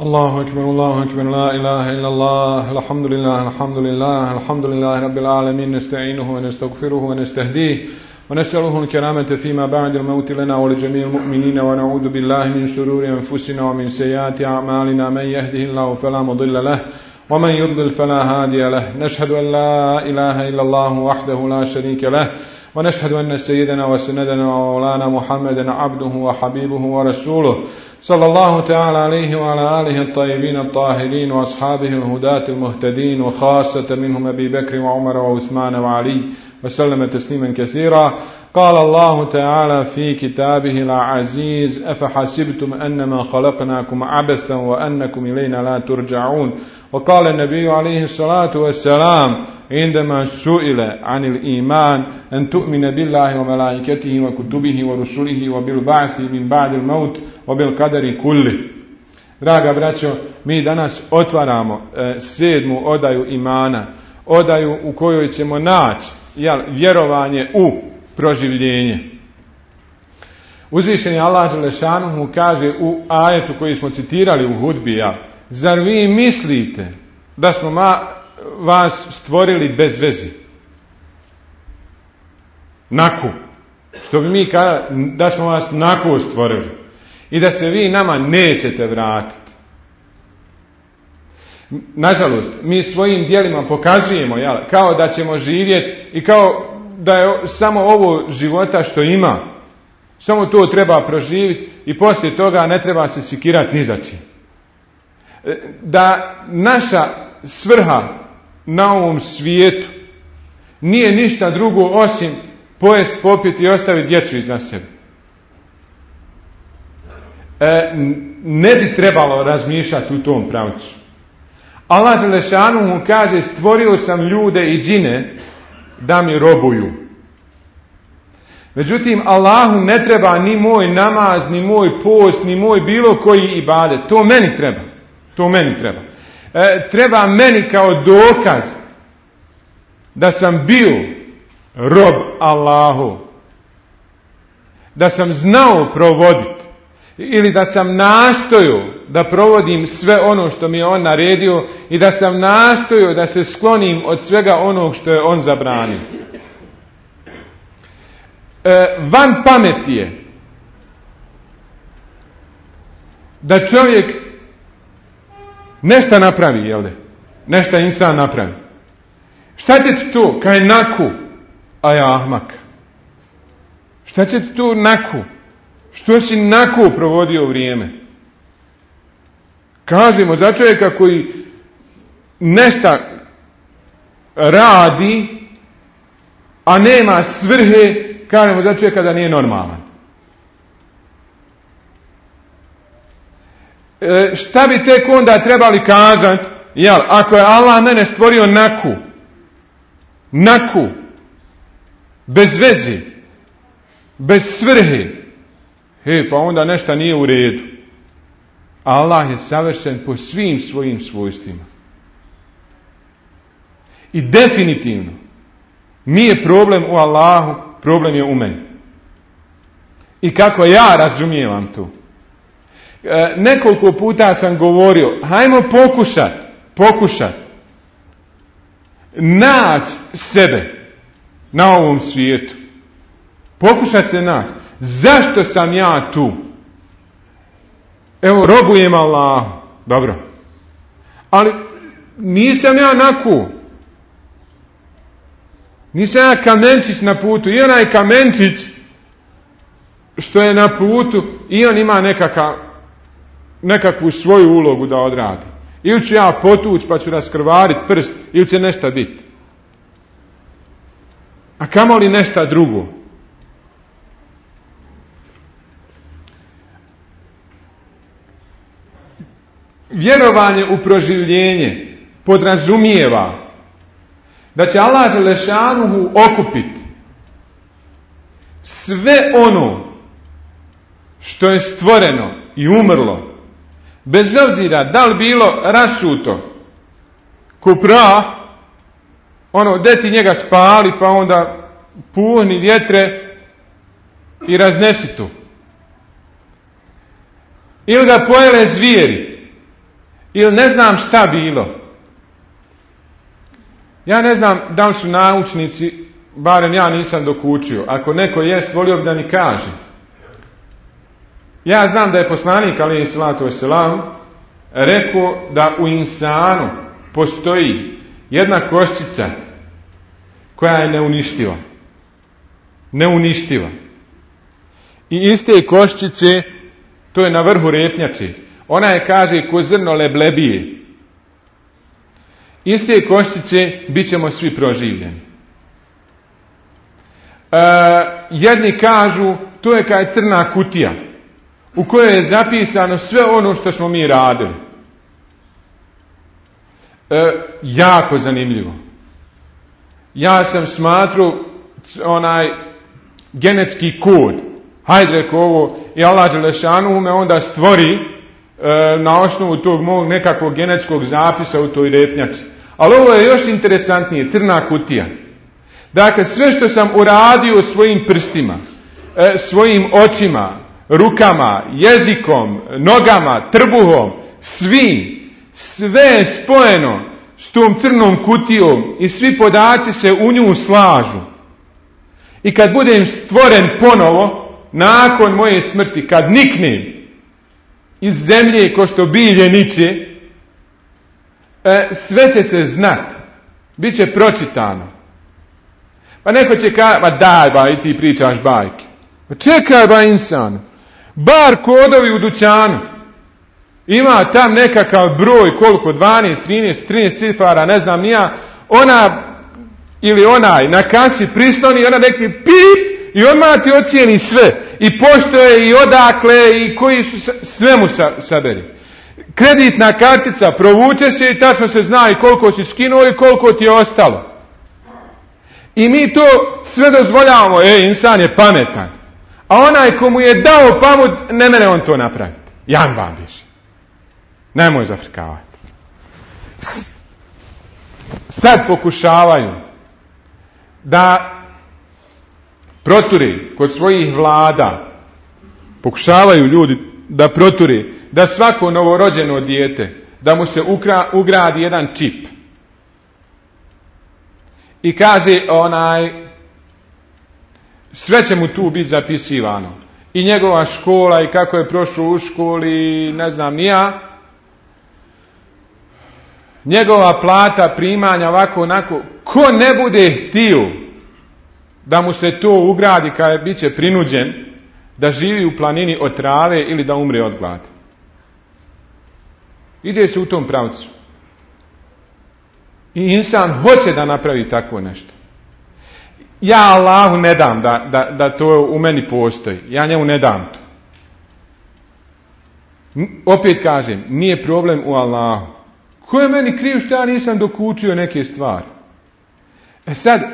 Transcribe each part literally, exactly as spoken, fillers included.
الله أكبر الله أكبر لا إله إلا الله الحمد لله الحمد لله الحمد لله رب العالمين نستعينه ونستغفره ونستهديه ونسأله الكرامة فيما بعد الموت لنا ولجميع المؤمنين ونعوذ بالله من شرور أنفسنا ومن سيئات أعمالنا من يهده الله فلا مضل له ومن يضلل فلا هادي له نشهد أن لا إله إلا الله وحده لا شريك له ونشهد أن سيدنا وسندنا ومولانا محمدا عبده وحبيبه ورسوله صلى الله تعالى عليه وعلى آله الطيبين الطاهرين وأصحابه الهداة المهتدين وخاصة منهم أبي بكر وعمر وعثمان وعلي وسلم تسليما كثيرا. قال الله تعالى في كتابه العزيز أفحسبتم أنما خلقناكم عبثا وأنكم إلينا لا ترجعون. وقال النبي عليه الصلاة والسلام عندما سئل عن الإيمان أن تؤمن بالله وملائكته وكتبه ورسله وبالبعث من بعد الموت وبالقدر كله. Draga braćo, mi danas otvaramo e, sedmu odaju imana, odaju u kojoj ćemo naći jel, vjerovanje u proživljenje. Uzvišeni Allah dželešanuhu kaže u ajetu koji smo citirali u hudbi, ja, zar vi mislite da smo ma, vas stvorili bez veze? Naku. Što bi mi kada, da smo vas naku stvorili i da se vi nama nećete vratiti. Nažalost, mi svojim djelima pokazujemo jel, kao da ćemo živjeti i kao da je samo ovo života što ima. Samo to treba proživjeti i poslije toga ne treba se sikirati ni za čim. Da naša svrha na ovom svijetu nije ništa drugo osim pojest, popiti i ostaviti djecu iza sebe. E, ne bi trebalo razmišljati u tom pravcu. Allah dželešanuhu kaže stvorio sam ljude i džine da mi robuju. Međutim, Allahu ne treba ni moj namaz, ni moj post, ni moj bilo koji ibadet. To meni treba. To meni treba. E, treba meni kao dokaz da sam bio rob Allahu. Da sam znao provoditi. Ili da sam nastojao da provodim sve ono što mi je on naredio i da sam nastojao da se sklonim od svega onog što je on zabranio. E, van pameti je da čovjek nešto napravi, jel de? Nešto insan napravi. Šta će ti to? Kaj naku? A ja ahmak. Šta će ti to naku? Što si naku provodio vrijeme? Kažemo za čovjeka koji nešto radi, a nema svrhe, kažemo za čovjeka da nije normalan. E, šta bi tek onda trebali kazati, jel, ako je Allah mene stvorio naku, naku, bez veze, bez svrhe, he, pa onda nešto nije u redu. Allah je savršen po svim svojim svojstvima. I definitivno nije problem u Allahu, problem je u meni. I kako ja razumijevam to. E, nekoliko puta sam govorio, hajmo pokušat, pokušat naći sebe na ovom svijetu. Pokušat se naći. Zašto sam ja tu? Evo, robujem Allahu. Dobro. Ali nisam ja naku. Nisam ja kamenčić na putu. I onaj kamenčić što je na putu i on ima nekaka, nekakvu svoju ulogu da odradi. Ili ću ja potući pa ću raskrvariti prst ili će nešto biti. A kamoli nešto drugo. Vjerovanje u proživljenje podrazumijeva da će Allah dželešanuhu okupiti sve ono što je stvoreno i umrlo, bez obzira da li bilo rasuto ko prah ono, deti njega spali, pa onda puhni vjetre i raznesi to. Ili ga pojele zvijeri, ili ne znam šta bilo. Ja ne znam da li su naučnici, barem ja nisam dokučio, ako neko jest, volio bi da mi kaže. Ja znam da je poslanik alejhi selatu vesselam rekao da u insanu postoji jedna koščica koja je neuništiva. Neuništiva. I iste koščice, to je na vrhu repnjače. Ona je, kaže, ko zrno leblebije. Iste koščice bit ćemo svi proživljeni. E, jedni kažu, to je kao crna kutija u kojoj je zapisano sve ono što smo mi radili. E, jako zanimljivo. Ja sam smatrao onaj genetski kod. Hajde reko ovo i Allah dželešanu me onda stvori e, na osnovu tog mog nekakvog genetskog zapisa u toj repnjači. Ali ovo je još interesantnije, crna kutija. Dakle, sve što sam uradio svojim prstima, e, svojim očima, rukama, jezikom, nogama, trbuhom, svim, sve je spojeno s tom crnom kutijom i svi podaci se u nju slažu. I kad budem stvoren ponovo, nakon moje smrti, kad niknem iz zemlje ko što bilje niče, e, sve će se znati, bit će pročitano. Pa neko će kaći, ba daj ba i ti pričaš bajke. Pa čekaj ba insan, bar kodovi u dućanu. Ima tam nekakav broj, koliko, dvanaest, trinaest, trinaest cifara, ne znam nija, ona ili onaj na kasi prisloni, ona neki pip i odmah ti ocijeni sve. I pošto je, i odakle, i koji su, sve mu sa, saberi. Kreditna kartica provuče se i tačno se zna i koliko si skinuo i koliko ti je ostalo. I mi to sve dozvoljavamo, e, insan je pametan. A onaj ko mu je dao pamut, ne mene on to napraviti. Jan babiš. Nemoj zafrkavati. Sad pokušavaju da proturi kod svojih vlada, pokušavaju ljudi da proturi da svako novorođeno dijete, da mu se ukra, ugradi jedan čip. I kaže onaj, sve će mu tu biti zapisivano. I njegova škola i kako je prošao u školi, ne znam ni ja. Njegova plata, primanja, ovako, onako. Ko ne bude htio da mu se to ugradi kada bit će prinuđen da živi u planini od trave ili da umre od gladi. Ide se u tom pravcu. I insan hoće da napravi tako nešto. Ja Allahu ne dam da, da, da to u meni postoji. Ja njemu ne dam to. Opet kažem, nije problem u Allahu. Ko je meni kriv što ja nisam dokučio neke stvari? E sad, e,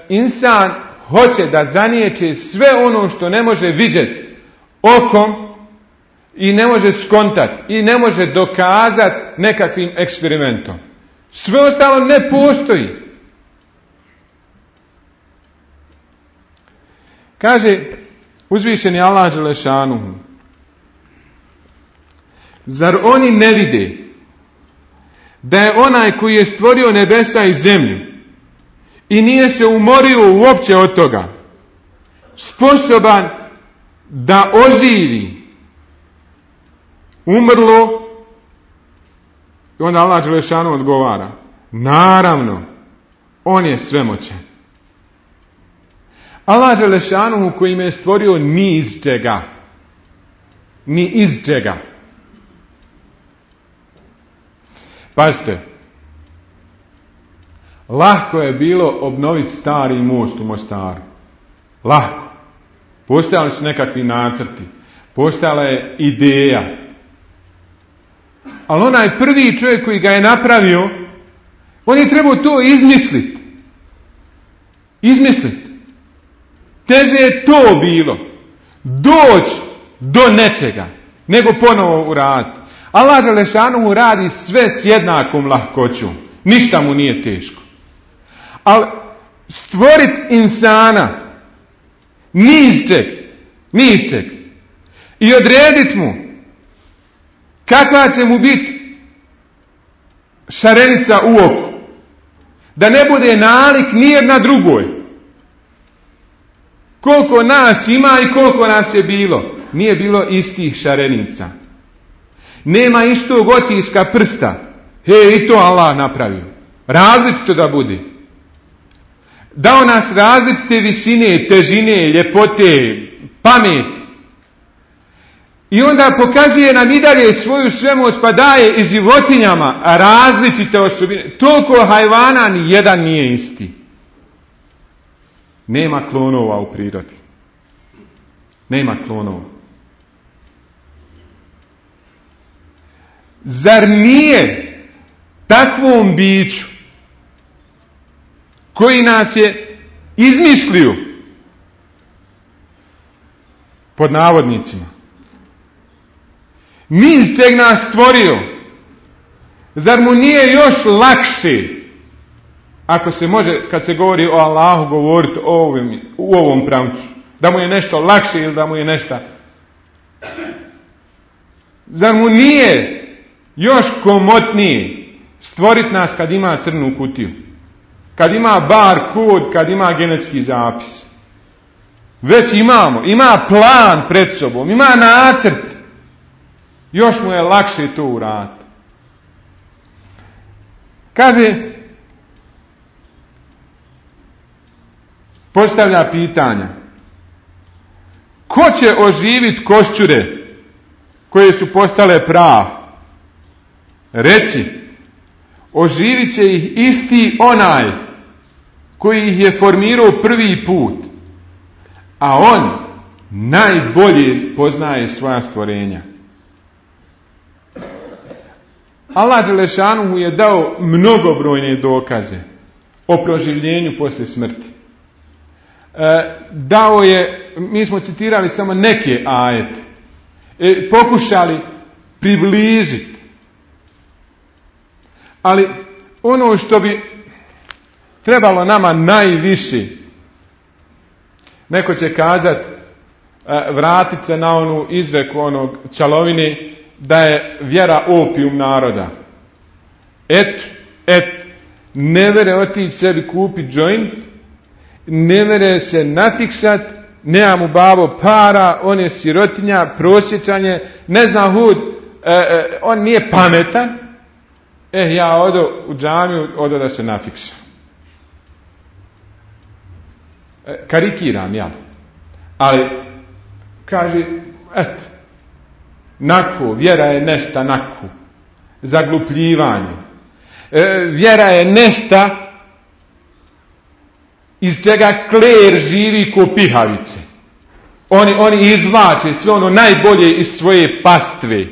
insan hoće da zanijeće sve ono što ne može vidjeti okom i ne može skontati i ne može dokazati nekakvim eksperimentom. Sve ostalo ne postoji. Kaže uzvišeni Allah dželešanuhu, zar oni ne vide da je onaj koji je stvorio nebesa i zemlju i nije se umorio uopće od toga, sposoban da oživi umrlo? I onda Allah dželešanu odgovara, naravno, on je svemoćan. Allah dželešanu koji me je stvorio ni iz čega. Ni iz čega. Pazite, lahko je bilo obnoviti stari most u Mostaru. Lahko. Postojali su nekakvi nacrti. Postojala je ideja. Ali onaj prvi čovjek koji ga je napravio, on je trebao to izmisliti. Izmisliti. Teže je to bilo. Doći do nečega, nego ponovo uraditi. Allah dželešanu radi sve s jednakom lahkoćom. Ništa mu nije teško. Ali stvorit insana ni iz čeg, ni iz čeg, i odredit mu kakva će mu biti šarenica u oku, da ne bude nalik nijedna drugoj. Koliko nas ima i koliko nas je bilo, nije bilo istih šarenica. Nema istog otiska prsta. He, i to Allah napravio. Različito da bude. Dao nas različite visine, težine, ljepote, pameti. I onda pokazuje nam i dalje svoju svemoć, pa daje i životinjama različite osobine. Toliko hajvana ni jedan nije isti. Nema klonova u prirodi. Nema klonova. Zar nije takvom biću koji nas je izmislio, pod navodnicima, mi iz čeg nas stvorio, zar mu nije još lakše, ako se može, kad se govori o Allahu, govoriti o ovim, u ovom pravcu, da mu je nešto lakše ili da mu je nešto, zar mu nije još komotnije stvoriti nas kad ima crnu kutiju, kad ima bar kod, kad ima genetski zapis? Već imamo, ima plan pred sobom, ima nacrt, još mu je lakše to uraditi. Kaže, postavlja pitanja, ko će oživiti košćure koje su postale prav? Reci, oživit će ih isti onaj koji ih je formirao prvi put, a on najbolje poznaje svoja stvorenja. Allah Đelešanuhu je dao mnogobrojne dokaze o proživljenju poslije smrti. E, dao je, mi smo citirali samo neke ajete, e, pokušali približiti. Ali ono što bi trebalo nama najviše, neko će kazati, vratit se na onu izreku onog Čalovine, da je vjera opijum naroda. Et, et, ne vere otići sebi kupiti joint, ne vere se nafiksat, nema mu babo para, on je sirotinja, prosječanje, ne zna hud, e, e, on nije pametan. Eh, ja odo u džamiju, odo da se nafiksa. E, karikiram ja. Ali, kaže, eto, naku, vjera je nešta naku. Zaglupljivanje. E, vjera je nešta iz čega kler živi ko pihavice. Oni, oni izvlače sve ono najbolje iz svoje pastve.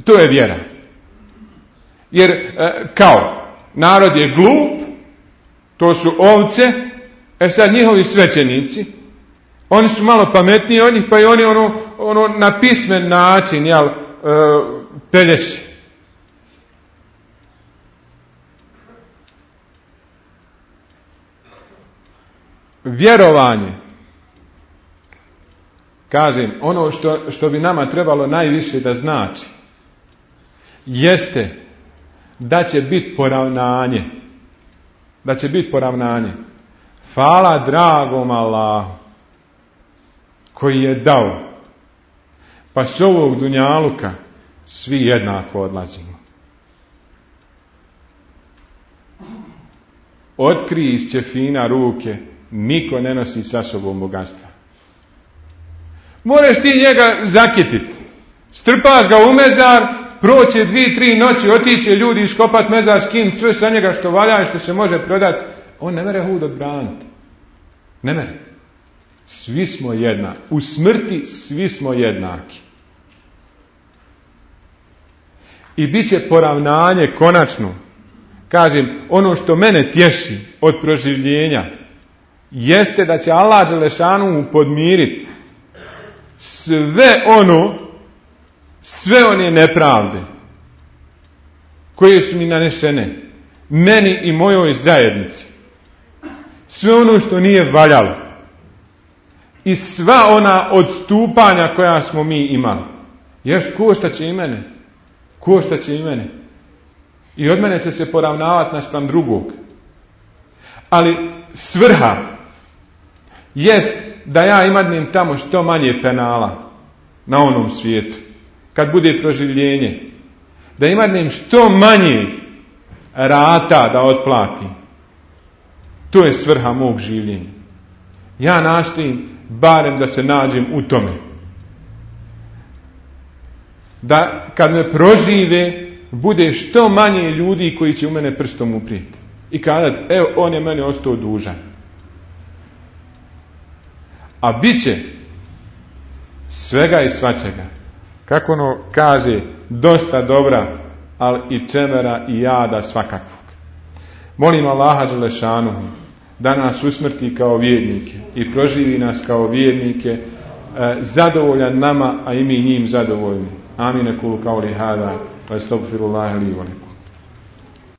To je vjera. Jer e, kao narod je glup, to su ovce, e sad njihovi svećenici, oni su malo pametniji od njih, pa i oni ono, ono na pismen način, jel, e, pelješi. Vjerovanje, kažem, ono što, što bi nama trebalo najviše da znači, jeste da će biti poravnanje. Da će biti poravnanje. Hvala dragom Allahu koji je dao. Pa s ovog dunjaluka svi jednako odlazimo. Otkri iz ćefina ruke, niko ne nosi sa sobom bogatstva. Moraš ti njega zakititi. Strpaš ga u mezar, proće dvije, tri noći, otiće ljudi iskopat mezar, skin sve sa njega što valja i što se može prodati. On ne mere hud odbraniti. Ne mere. Svi smo jednaki. U smrti svi smo jednaki. I bit će poravnanje konačno. Kažem, ono što mene tješi od proživljenja jeste da će Allah Đelešanu podmiriti sve ono, sve one nepravde koje su mi nanešene. meni i mojoj zajednici sve ono što nije valjalo i sva ona odstupanja koja smo mi imali. Još koštaće i mene. Koštaće i mene. I od mene će se poravnavati naspram drugog. Ali svrha jest da ja imadnem tamo što manje penala na onom svijetu. Kad bude proživljenje. Da imadnem što manje rata da otplatim. To je svrha mog življenja. Ja nastojim barem da se nađem u tome. Da kad me prožive bude što manje ljudi koji će u mene prstom uprijeti. I kazati, evo on je meni ostao dužan. A bit će svega i svačega. Kako ono kaže, dosta dobra, ali i čemera i jada svakakvog. Molim Allaha dželešanu da nas usmrti kao vjernike i proživi nas kao vjernike, zadovoljan nama, a i mi njim zadovoljni. Amin. Kulu kauli hada, wa astagfirullaha li wa lakum.